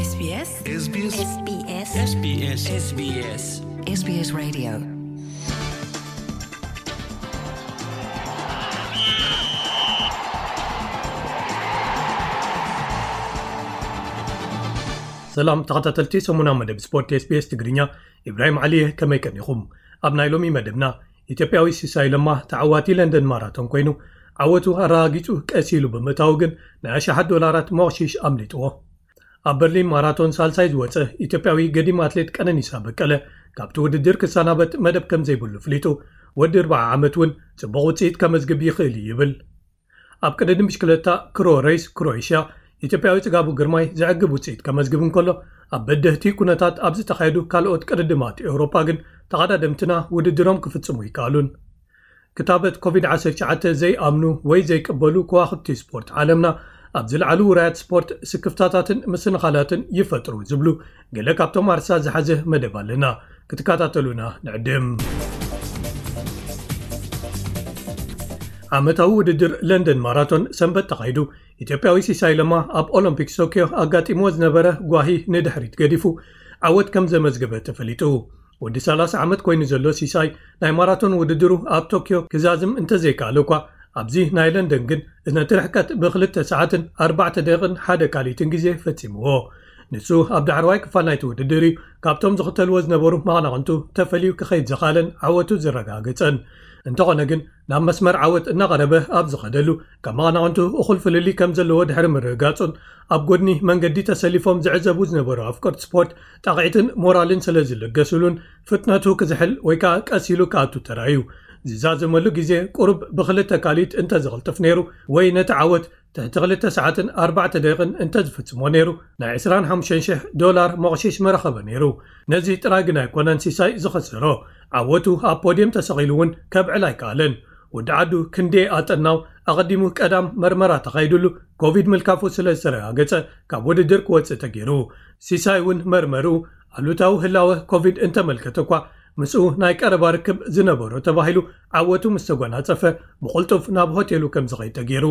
SBS SBS SBS SBS SBS SBS Radio. ሰላም ተኸታተልቲ ሰሙና መደብ ስፖርት SBS ትግርኛ፣ ኢብራሂም ዓሊየ፣ ከመይ ቀኒኹም? ኣብ ናይ ሎሚ መደብና፣ ኢትዮጵያዊ ሲሳይ ለማ ተዓዋቲ ለንደን ማራቶን ኮይኑ፣ ዓወቱ ኣረጋጊጹ ቀስ ኢሉ ብምእታዉ ግን፣ ናይ ኣሽሓት ዶላራት መቕሺሽ ኣምሊጥዎ። ኣብ በርሊን ማራቶን ሳልሳይ ዝወጸ ኢትዮጵያዊ ገዲም ኣትሌት ቀነኒሳ በቀለ፣ ካብቲ ውድድር ክሰናበት መደብ ከም ዘይብሉ ፍሊጡ፣ ወዲ ኣርብዓ ዓመት እውን ጽቡቕ ውጽኢት ከመዝግብ ይኽእል እዩ ይብል። ኣብ ቅድድም ብሽክለታ ክሮ ሬስ ክሮኤሽያ፣ ኢትዮጵያዊ ጽጋቡ ግርማይ ዘዕግብ ውጽኢት ከመዝግብ እንከሎ፣ ኣብ በደህቲ ኩነታት ኣብ ዝተኻየዱ ካልኦት ቅድድማት ኤውሮጳ ግን ተቐዳደምትና ውድድሮም ክፍጽሙ ይከኣሉን። ክታበት ኮቪድ ዓሰርተ ትሽዓተ ዘይኣምኑ ወይ ዘይቅበሉ ከዋኽብቲ ስፖርት ዓለምና፣ ኣብ ዝለዓሉ ውራያት ስፖርት ስክፍታታትን ምስንኻላትን ይፈጥሩ ዝብሉ ገለ ካብቶም ኣርሳ ዝሓዘ መደብ ኣለና። ክትከታተሉና ንዕድም። ዓመታዊ ውድድር ለንደን ማራቶን ሰንበት ተኻይዱ፣ ኢትዮጵያዊ ሲሳይ ለማ ኣብ ኦሎምፒክስ ቶክዮ ኣጋጢምዎ ዝነበረ ጓሂ ንድሕሪት ገዲፉ ዓወት ከም ዘመዝገበ ተፈሊጡ። ወዲ ሰላሳ ዓመት ኮይኑ ዘሎ ሲሳይ፣ ናይ ማራቶን ውድድሩ ኣብ ቶክዮ ክዛዝም እንተዘይከኣለ እኳ፣ ኣብዚ ናይ ለንደን ግን ነቲ ርሕቀት ብክልተ ሰዓትን ኣርባዕተ ደቂቕን ሓደ ካልኢትን ግዜ ፈጺምዎ። ንሱ ኣብ ዳሕረዋይ ክፋል ናይቲ ውድድር እዩ ካብቶም ዝኽተልዎ ዝነበሩ መቐናቕንቱ ተፈልዩ ክኸይድ ዝኸኣለን ዓወቱ ዘረጋገጸን። እንተኾነ ግን፣ ናብ መስመር ዓወት እናቐረበ ኣብ ዝኸደሉ፣ ካብ መቐናቕንቱ እኹል ፍልልይ ከም ዘለዎ ድሕሪ ምርግጋጹን፣ ኣብ ጎድኒ መንገዲ ተሰሊፎም ዝዕዘቡ ዝነበሩ ኣፍቀርቲ ስፖርት ጣቕዒትን ሞራልን ስለ ዝለገሱሉን፣ ፍጥነቱ ክዝሕል ወይ ከኣ ቀስ ኢሉ ክኣቱ ተራእዩ። ዝዛዘመሉ ግዜ ቁሩብ ብኽልተ ካልኢት እንተዝቕልጥፍ ነይሩ፣ ወይ ነቲ ዓወት ትሕቲ ክልተ ሰዓትን ኣርባዕተ ደቂቕን እንተዝፍጽሞ ነይሩ፣ ናይ ዕስራን ሓሙሽተን ሽሕ ዶላር መቕሺሽ ምረኸበ ነይሩ። ነዚ ጥራይ ግን ኣይኮነን ሲሳይ ዝኸሰሮ። ዓወቱ ኣብ ፖድየም ተሰቒሉ እውን ከብዕል ኣይከኣለን። ወዲ ዓዱ ክንደይ ኣጠናው፣ ኣቐዲሙ ቀዳም መርመራ ተኻይዱሉ፣ ኮቪድ ምልካፉ ስለ ዝተረጋገጸ፣ ካብ ውድድር ክወጽእ ተገይሩ። ሲሳይ እውን መርመርኡ ኣሉታዊ ህላወ ኮቪድ እንተመልከተ እኳ፣ ምስኡ ናይ ቀረባ ርክብ ዝነበሮ ተባሂሉ ዓወቱ ምስ ተጓናጸፈ፣ ብቕልጡፍ ናብ ሆቴሉ ከም ዝኸይድ ተገይሩ።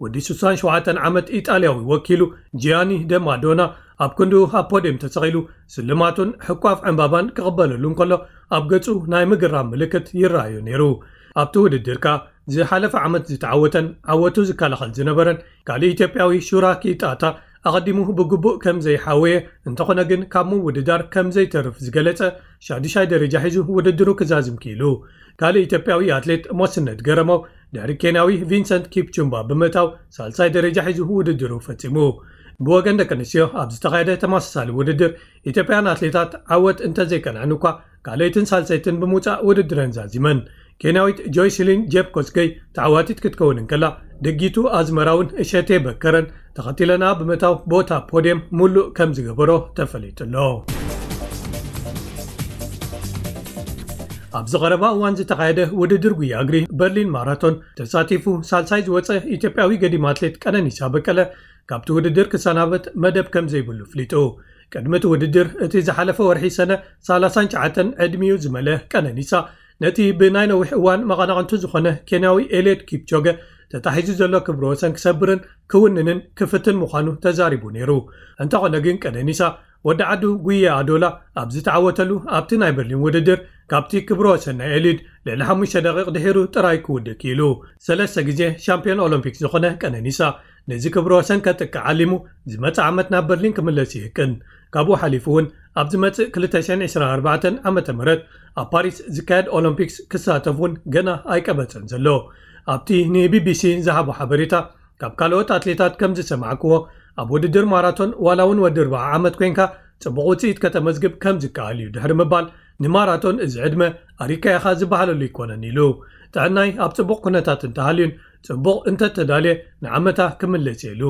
ወዲ ስሳን ሸውዓተን ዓመት ኢጣልያዊ ወኪሉ ጂያኒ ደማዶና፣ ኣብ ክንድኡ ኣብ ፖድየም ተሰቒሉ፣ ስልማቱን ሕቋፍ ዕምባባን ክቕበለሉ እንከሎ፣ ኣብ ገጹ ናይ ምግራም ምልክት ይረኣዮ ነይሩ። ኣብቲ ውድድር ከኣ፣ ዝሓለፈ ዓመት ዝተዓወተን ዓወቱ ዝከላኸል ዝነበረን ካልእ ኢትዮጵያዊ ሹራ ኪጣታ፣ ኣቐዲሙ ብግቡእ ከም ዘይሓወየ፣ እንተኾነ ግን ካብ ምውድዳር ከም ዘይተርፍ ዝገለጸ ሻዱሻይ ደረጃ ሒዙ ውድድሩ ክዛዝም ክኢሉ። ካልእ ኢትዮጵያዊ ኣትሌት ሞስነት ገረመው፣ ድሕሪ ኬንያዊ ቪንሰንት ኪፕቹምባ ብምእታው፣ ሳልሳይ ደረጃ ሒዙ ውድድሩ ፈጺሙ። ብወገን ደቂ ኣንስትዮ ኣብ ዝተኻየደ ተመሳሳሊ ውድድር፣ ኢትዮጵያን ኣትሌታት ዓወት እንተዘይቀንዐን እኳ፣ ካልኣይትን ሳልሰይትን ብምውጻእ ውድድረን ዛዚመን። ኬንያዊት ጆይስሊን ጄፕ ኮስገይ ተዓዋቲት ክትከውን እንከላ፣ ደጊቱ ኣዝመራውን እሸቴ በከረን ተኸቲለና ብምእታው፣ ቦታ ፖድየም ሙሉእ ከም ዝገበሮ ተፈሊጡ ኣሎ። ኣብዚ ቀረባ እዋን ዝተኻየደ ውድድር ጉያ እግሪ በርሊን ማራቶን ተሳቲፉ ሳልሳይ ዝወጸ ኢትዮጵያዊ ገዲም ኣትሌት ቀነኒሳ በቀለ፣ ካብቲ ውድድር ክሰናበት መደብ ከም ዘይብሉ ፍሊጡ። ቅድሚ እቲ ውድድር፣ እቲ ዝሓለፈ ወርሒ ሰነ ሰላሳን ትሽዓተን ዕድሚኡ ዝመለ ቀነኒሳ፣ ነቲ ብናይ ነዊሕ እዋን መቐናቕንቱ ዝኾነ ኬንያዊ ኤልዮድ ኪፕቾገ ተታሒዙ ዘሎ ክብረ ወሰን ክሰብርን ክውንንን ክፍትን ምዃኑ ተዛሪቡ ነይሩ። እንተኾነ ግን፣ ቀነኒሳ ወዲ ዓዱ ጉያ ኣዶላ ኣብ ዝተዓወተሉ ኣብቲ ናይ በርሊን ውድድር፣ ካብቲ ክብረ ወሰን ናይ ኤልዮድ ልዕሊ ሓሙሽተ ደቂቕ ድሒሩ ጥራይ ክውድእ ክኢሉ። ሰለስተ ግዜ ሻምፒዮን ኦሎምፒክ ዝኾነ ቀነኒሳ፣ ነዚ ክብረ ወሰን ከጥቅዕ ዓሊሙ፣ ዝመጽእ ዓመት ናብ በርሊን ክምለስ ይህቅን። ካብኡ ሓሊፉ እውን፣ ኣብ ዝመጽእ ክልተ ሽሕን ዕስራን ኣርባዕተን ዓመተ ምህረት ኣብ ፓሪስ ዝካየድ ኦሎምፒክስ ክሳተፍ እውን ገና ኣይቀበጸን ዘሎ። ኣብቲ ንቢቢሲ ዝሃቦ ሓበሬታ፣ ካብ ካልኦት ኣትሌታት ከም ዝሰማዕክዎ፣ ኣብ ውድድር ማራቶን ዋላ እውን ወዲ ኣርብዓ ዓመት ኮይንካ ጽቡቕ ውጽኢት ከተመዝግብ ከም ዝከኣል እዩ ድሕሪ ምባል፣ ንማራቶን እዚ ዕድመ ኣሪካ ኢኻ ዝበሃለሉ ኣይኮነን ኢሉ። ጥዕናይ ኣብ ጽቡቕ ኩነታት እንተሃልዩን ጽቡቕ እንተተዳልየ፣ ንዓመታ ክምለስ እየ ኢሉ።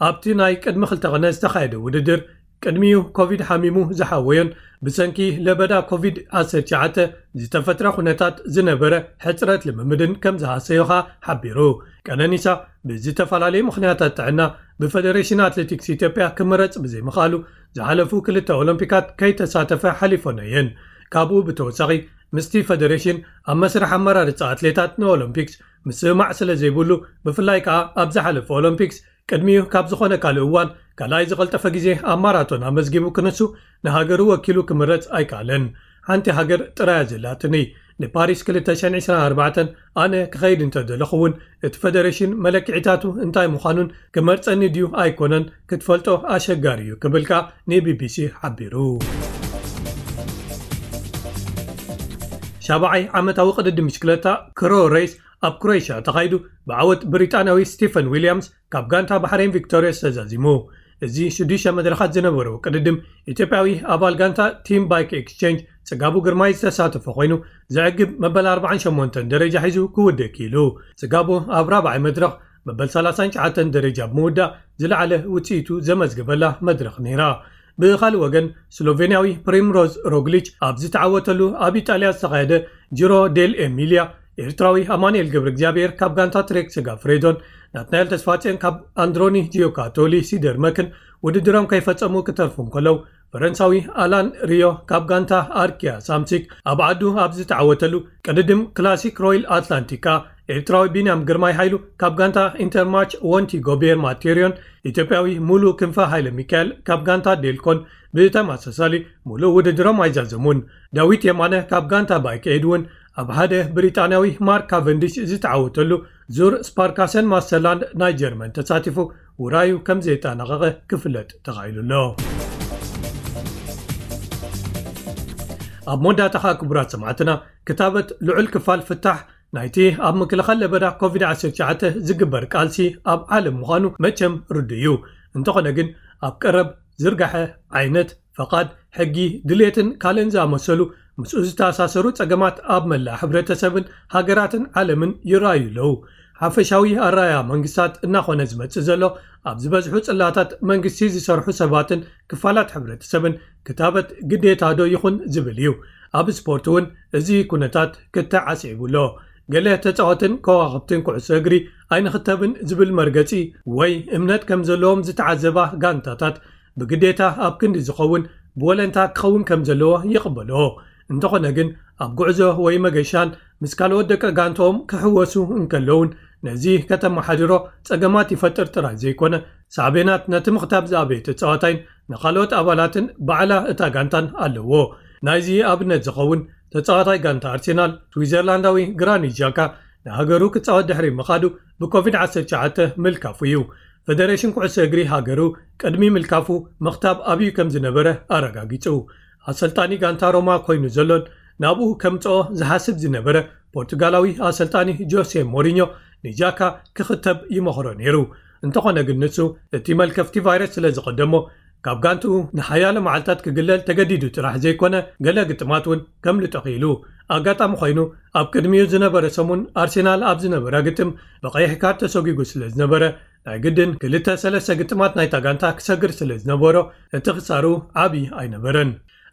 ኣብቲ ናይ ቅድሚ ክልተ ቕነ ዝተኻየደ ውድድር፣ ቅድሚኡ ኮቪድ ሓሚሙ ዝሓወዮን ብሰንኪ ለበዳ ኮቪድ ዓሰርተ ትሽዓተ ዝተፈጥረ ኩነታት ዝነበረ ሕጽረት ልምምድን ከም ዝሃሰዮ ኸኣ ሓቢሩ። ቀነኒሳ ብዝተፈላለዩ ምኽንያታት ጥዕና ብፈደሬሽን ኣትሌቲክስ ኢትዮጵያ ክምረጽ ብዘይምኽኣሉ፣ ዝሓለፉ ክልተ ኦሎምፒካት ከይተሳተፈ ሓሊፎን እየን። ካብኡ ብተወሳኺ፣ ምስቲ ፈደሬሽን ኣብ መስርሕ ኣመራርጻ ኣትሌታት ንኦሎምፒክስ ምስምማዕ ስለ ዘይብሉ፣ ብፍላይ ከኣ ኣብ ዝሓለፈ ኦሎምፒክስ ቅድሚኡ ካብ ዝኾነ ካልእ እዋን ካልኣይ ዝቐልጠፈ ግዜ ኣብ ማራቶን ኣመዝጊቡ ክንሱ፣ ንሃገሩ ወኪሉ ክምረጽ ኣይከኣለን። ሓንቲ ሃገር ጥራያ ዘላትኒ። ንፓሪስ ክልተ ሽሕን ዕስራን ኣርባዕተን ኣነ ክኸይድ እንተደለኹ እውን፣ እቲ ፈደሬሽን መለክዒታቱ እንታይ ምዃኑን ክመርጸኒ ድዩ ኣይኮነን ክትፈልጦ ኣሸጋሪ እዩ ክብል ከኣ ንቢቢሲ ሓቢሩ። ሻብዓይ ዓመታዊ ቅድድም ብሽክለታ ክሮ ሬስ ኣብ ክሮኤሽያ ተኻይዱ፣ ብዓወት ብሪጣንያዊ ስቲፈን ዊልያምስ ካብ ጋንታ ባሕሬን ቪክቶሪየስ ተዛዚሙ። እዚ ሽዱሽተ መድረኻት ዝነበሮ ቅድድም፣ ኢትዮጵያዊ ኣባል ጋንታ ቲም ባይክ ኤክስቼንጅ ጽጋቡ ግርማይ ዝተሳተፎ ኮይኑ፣ ዘዕግብ መበል ኣርባዓን ሸሞንተን ደረጃ ሒዙ ክውድእ ክኢሉ። ጽጋቡ ኣብ ራብዓይ መድረኽ መበል ሰላሳን ትሽዓተን ደረጃ ብምውዳእ ዝለዓለ ውጽኢቱ ዘመዝገበላ መድረኽ ነይራ። ብኻልእ ወገን፣ ስሎቬንያዊ ፕሪምሮዝ ሮግሊች ኣብ ዝተዓወተሉ ኣብ ኢጣልያ ዝተኻየደ ጂሮ ዴል ኤሚልያ፣ ኤርትራዊ ኣማኑኤል ገብረ እግዚኣብሔር ካብ ጋንታ ትሬክ ስጋ ፍሬዶን፣ ናትናኤል ተስፋጽዮን ካብ ኣንድሮኒ ጂዮካቶሊ ሲደርመክን ውድድሮም ከይፈጸሙ ክተርፉ እንከለዉ፣ ፈረንሳዊ ኣላን ሪዮ ካብ ጋንታ ኣርኪያ ሳምሲክ ኣብ ዓዱ ኣብ ዝተዓወተሉ ቅድድም ክላሲክ ሮይል ኣትላንቲካ፣ ኤርትራዊ ቢንያም ግርማይ ሃይሉ ካብ ጋንታ ኢንተርማች፣ ወንቲ ጎቤር ማቴሪዮን ኢትዮጵያዊ ሙሉ ክንፈ ሃይለ ሚካኤል ካብ ጋንታ ዴልኮን ብተመሳሳሊ ሙሉእ ውድድሮም ኣይዛዘሙን። ዳዊት የማነ ካብ ጋንታ ባይክ ኤድ እውን ኣብ ሓደ ብሪጣንያዊ ማርክ ካቨንዲሽ ዝተዓወተሉ ዙር ስፓርካሰን ማስተርላንድ ናይ ጀርመን ተሳቲፉ ውራዩ ከም ዘየጠናቐቐ ክፍለጥ ተኻኢሉ ኣሎ። ኣብ መወዳእታ ኸኣ ክቡራት ሰማዕትና፣ ክታበት ልዑል ክፋል ፍታሕ ናይቲ ኣብ ምክልኻል ለበዳ ኮቪድ ዓሰርተ ትሽዓተ ዝግበር ቃልሲ ኣብ ዓለም ምዃኑ መቸም ርዱእ እዩ። እንተኾነ ግን፣ ኣብ ቀረብ ዝርጋሐ ዓይነት፣ ፈቓድ፣ ሕጊ፣ ድሌትን ካልእን ዝኣመሰሉ ምስኡ ዝተኣሳሰሩ ጸገማት ኣብ መላእ ሕብረተሰብን ሃገራትን ዓለምን ይረኣዩ ኣለዉ። ሓፈሻዊ ኣረኣእያ መንግስታት እናኾነ ዝመጽእ ዘሎ፣ ኣብ ዝበዝሑ ጽላታት መንግስቲ ዝሰርሑ ሰባትን ክፋላት ሕብረተሰብን ክታበት ግዴታ ዶ ይኹን ዝብል እዩ። ኣብ ስፖርት እውን እዚ ኩነታት ክተዓስዒቡ ኣሎ። ገለ ተጻወትን ከዋኽብትን ኩዕሶ እግሪ ኣይንኽተብን ዝብል መርገጺ ወይ እምነት ከም ዘለዎም ዝተዓዘባ ጋንታታት፣ ብግዴታ ኣብ ክንዲ ዝኸውን ብወለንታ ክኸውን ከም ዘለዎ ይቕበልኦ። እንተኾነ ግን፣ ኣብ ጉዕዞ ወይ መገሻን ምስ ካልኦት ደቂ ጋንትኦም ክሕወሱ እንከለውን፣ ነዚ ከተመሓድሮ ጸገማት ይፈጥር ጥራይ ዘይኮነ፣ ሳዕቤናት ነቲ ምኽታብ ዝኣበየ ተጻዋታይን ንኻልኦት ኣባላትን ባዕላ እታ ጋንታን ኣለዎ። ናይዚ ኣብነት ዝኸውን፣ ተጻዋታይ ጋንታ ኣርሴናል፣ ስዊዘርላንዳዊ ግራኒት ዣካ፣ ንሃገሩ ክጻወት ድሕሪ ምኻዱ ብኮቪድ ዓሰርተ ትሽዓተ ምልካፉ እዩ። ፈደሬሽን ኩዕሶ እግሪ ሃገሩ ቅድሚ ምልካፉ ምኽታብ ኣብዩ ከም ዝነበረ ኣረጋጊጹ። ኣሰልጣኒ ጋንታ ሮማ ኮይኑ ዘሎን ናብኡ ከምጽኦ ዝሓስብ ዝነበረ ፖርቱጋላዊ ኣሰልጣኒ ጆሴ ሞሪኞ ንጃካ ክኽተብ ይመኽሮ ነይሩ። እንተኾነ ግን ንሱ እቲ መልከፍቲ ቫይረስ ስለ ዝቐደሞ፣ ካብ ጋንትኡ ንሓያሎ መዓልታት ክግለል ተገዲዱ ጥራሕ ዘይኮነ፣ ገለ ግጥማት እውን ከምልጦ ክኢሉ። ኣጋጣሚ ኮይኑ፣ ኣብ ቅድሚኡ ዝነበረ ሰሙን ኣርሴናል ኣብ ዝነበራ ግጥም ብቐይሕ ካርድ ተሰጒጉ ስለ ዝነበረ፣ ናይ ግድን ክልተ ሰለስተ ግጥማት ናይታ ጋንታ ክሰግር ስለ ዝነበሮ፣ እቲ ክሳሩ ዓቢ ኣይነበረን።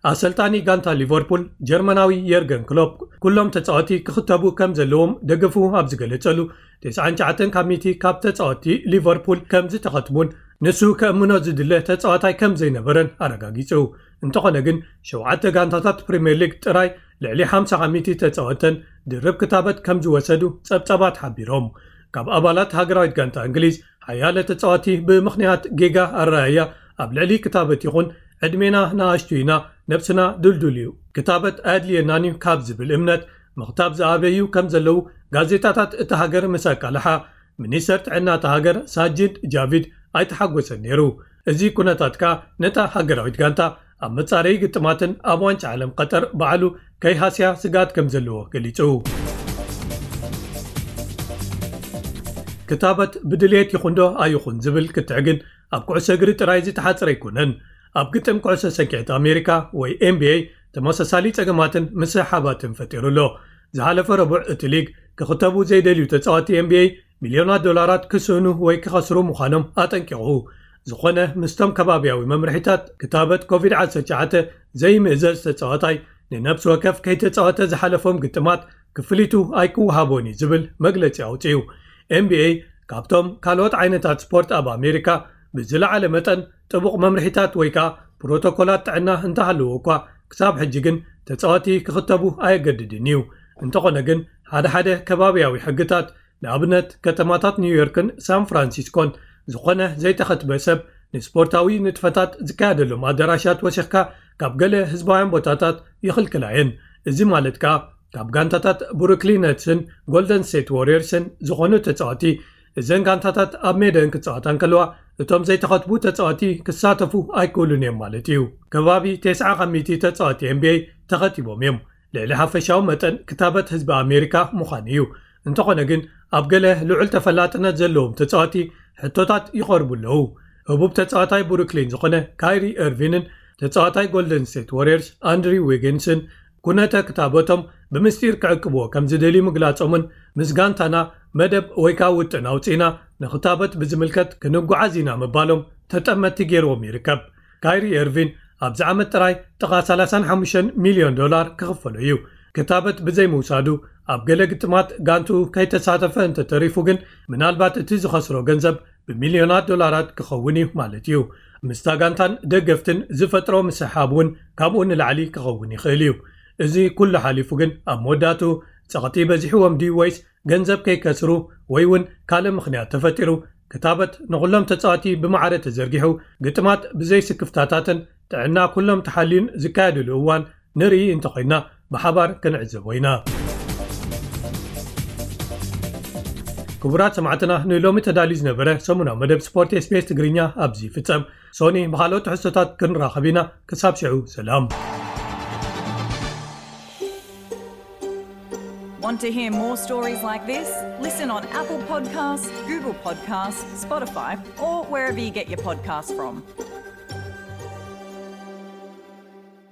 ኣሰልጣኒ ጋንታ ሊቨርፑል ጀርመናዊ የርገን ክሎፕ፣ ኩሎም ተጻወቲ ክኽተቡ ከም ዘለዎም ደገፉ ኣብ ዝገለጸሉ፣ ተስዓን ትሽዓተን ካብ ሚእቲ ካብ ተጻወቲ ሊቨርፑል ከም ዝተኸትቡን ንሱ ከእምኖ ዝድለ ተጻዋታይ ከም ዘይነበረን ኣረጋጊጹ። እንተኾነ ግን፣ ሸውዓተ ጋንታታት ፕሪምየር ሊግ ጥራይ ልዕሊ ሓምሳ ካብ ሚእቲ ተጻወተን ድርብ ክታበት ከም ዝወሰዱ ጸብጻባት ሓቢሮም። ካብ ኣባላት ሃገራዊት ጋንታ እንግሊዝ፣ ሓያለ ተጻወቲ ብምኽንያት ጌጋ ኣረኣእያ ኣብ ልዕሊ ክታበት ይኹን ዕድሜና ንኣሽቱ ኢና፣ ነብስና ድልዱል እዩ፣ ክታበት ኣየድልየናን እዩ ካብ ዝብል እምነት ምኽታብ ዝኣበዩ ከም ዘለዉ ጋዜጣታት እታ ሃገር ምስ ኣቃልሓ፣ ሚኒስተር ጥዕና እታ ሃገር ሳጂድ ጃቪድ ኣይተሓጎሰን ነይሩ። እዚ ኩነታት ከኣ ነታ ሃገራዊት ጋንታ ኣብ መጻረዪ ግጥማትን ኣብ ዋንጫ ዓለም ቀጠር ባዕሉ ከይሃስያ ስግኣት ከም ዘለዎ ገሊጹ። ክታበት ብድልየት ይኹን ዶ ኣይኹን ዝብል ክትዕ ግን ኣብ ኩዕሶ እግሪ ጥራይ ዝተሓጽረ ኣይኮነን። ኣብ ግጥም ኩዕሶ ሰኪዐት ኣሜሪካ ወይ ኤን ቢ ኤ ተመሳሳሊ ጸገማትን ምስሕሓባትን ፈጢሩ ኣሎ። ዝሓለፈ ረቡዕ እቲ ሊግ ክኽተቡ ዘይደልዩ ተጻወቲ ኤን ቢ ኤ ሚልዮናት ዶላራት ክስእኑ ወይ ክኸስሩ ምዃኖም ኣጠንቂቑ። ዝኾነ ምስቶም ከባብያዊ መምርሒታት ክታበት ኮቪድ ዓሰርተ ትሽዓተ ዘይምእዘዝ ተጻዋታይ ንነብሲ ወከፍ ከይተጻወተ ዝሓለፎም ግጥማት ክፍሊቱ ኣይክወሃቦን እዩ ዝብል መግለጺ ኣውጺኡ። ኤን ቢ ኤ ካብቶም ካልኦት ዓይነታት ስፖርት ኣብ ኣሜሪካ ብዝለዓለ መጠን ጥቡቕ መምርሒታት ወይ ከኣ ፕሮቶኮላት ጥዕና እንተሃለዎ እኳ፣ ክሳብ ሕጂ ግን ተጻወቲ ክኽተቡ ኣየገድድን እዩ። እንተኾነ ግን፣ ሓደ ሓደ ከባብያዊ ሕግታት፣ ንኣብነት ከተማታት ኒውዮርክን ሳን ፍራንሲስኮን፣ ዝኾነ ዘይተኸትበ ሰብ ንስፖርታዊ ንጥፈታት ዝካየደሎም ኣዳራሻት ወሲኽካ ካብ ገለ ህዝባውያን ቦታታት ይኽልክላ እየን። እዚ ማለት ከኣ ካብ ጋንታታት ብሩክሊን ነትስን ጎልደን ስቴት ዋሪየርስን ዝኾኑ ተጻወቲ እዘን ጋንታታት ኣብ ሜደን ክጻወታ እንከለዋ እቶም ዘይተኸትቡ ተጻወቲ ክሳተፉ ኣይክእሉን እዮም ማለት እዩ። ከባቢ ተስዓ ካብ ሚእቲ ተጻወቲ ኤንቢኤ ተኸቲቦም እዮም። ልዕሊ ሓፈሻዊ መጠን ክታበት ህዝቢ ኣሜሪካ ምዃኑ እዩ። እንተኾነ ግን ኣብ ገለ ልዑል ተፈላጥነት ዘለዎም ተጻወቲ ሕቶታት ይቐርቡ ኣለዉ። ህቡብ ተጻዋታይ ብሩክሊን ዝኾነ ካይሪ ኤርቪንን ተጻዋታይ ጎልደን ስቴት ዋሪየርስ ኣንድሪው ዊጊንስን ኩነተ ክታበቶም ብምስጢር ክዕቅብዎ ከም ዝደልዩ ምግላጾምን ምስ ጋንታና መደብ ወይ ከዓ ውጥን ኣውፂእና ንክታበት ብዝምልከት ክንጓዓዝ ኢና ምባሎም ተጠመቲ ገይርዎም ይርከብ። ካይሪ ኤርቪን ኣብዚ ዓመት ጥራይ ጥቓ ሰላሳን ሓሙሽተን ሚልዮን ዶላር ክኽፈሎ እዩ። ክታበት ብዘይምውሳዱ ኣብ ገለ ግጥማት ጋንቱ ከይተሳተፈ እንተተሪፉ ግን ምናልባት እቲ ዝኸስሮ ገንዘብ ብሚልዮናት ዶላራት ክኸውን እዩ ማለት እዩ። ምስታ ጋንታን ደገፍትን ዝፈጥሮ ምስሕሓብ እውን ካብኡ ንላዕሊ ክኸውን ይኽእል እዩ። እዚ ኩሉ ሓሊፉ ግን ኣብ መወዳእቱ ጸቕጢ በዚሕዎም ድዩ ወይስ ገንዘብ ከይከስሩ ወይ እውን ካልእ ምኽንያት ተፈጢሩ ክታበት ንኹሎም ተጻወቲ ብማዕረ ተዘርጊሑ ግጥማት ብዘይ ስክፍታታትን ጥዕና ኩሎም ተሓልዩን ዝካየድሉ እዋን ንርኢ እንተኾይና ብሓባር ክንዕዘቦ ኢና። ክቡራት ሰማዕትና ንሎሚ ተዳልዩ ዝነበረ ሰሙናዊ መደብ ስፖርት ኤስቢኤስ ትግርኛ ኣብዚ ይፍጸም። ሶኒ ብኻልኦት ትሕዝቶታት ክንራኸብ ኢና። ክሳብ ሽዑ ሰላም። Want to hear more stories like this? Listen on Apple Podcasts, Google Podcasts, Spotify, or wherever you get your podcasts from.